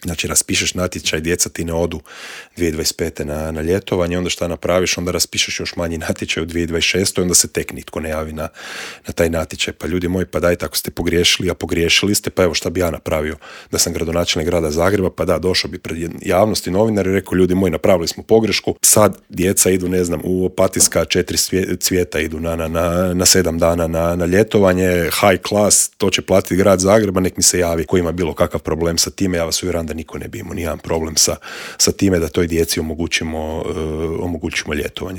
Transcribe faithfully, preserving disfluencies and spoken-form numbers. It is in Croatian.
Znači, raspišeš natječaj, djeca ti ne odu dvije tisuće dvadeset pete na, na ljetovanje, onda šta napraviš, onda raspišeš još manji natječaj u dvije tisuće dvadeset šeste onda se tek nitko ne javi na, na taj natječaj. Pa ljudi moji, pa dajte, ako ste pogriješili, a pogriješili ste, pa evo šta bi ja napravio da sam gradonačelnik grada Zagreba, pa da, došao bi pred javnost i novinar i rekao, ljudi moji, napravili smo pogrešku, sad djeca idu, ne znam, u Opatijska četiri cvijeta idu na, na, na, na sedam dana na, na ljetovanje, high class, to će platiti grad Zagreba, nek mi se javi ko ima bilo kakav problem sa time, ja vas uvjeram da niko ne bi imao nijedan problem sa, sa time da toj djeci omogućimo, uh, omogućimo ljetovanje.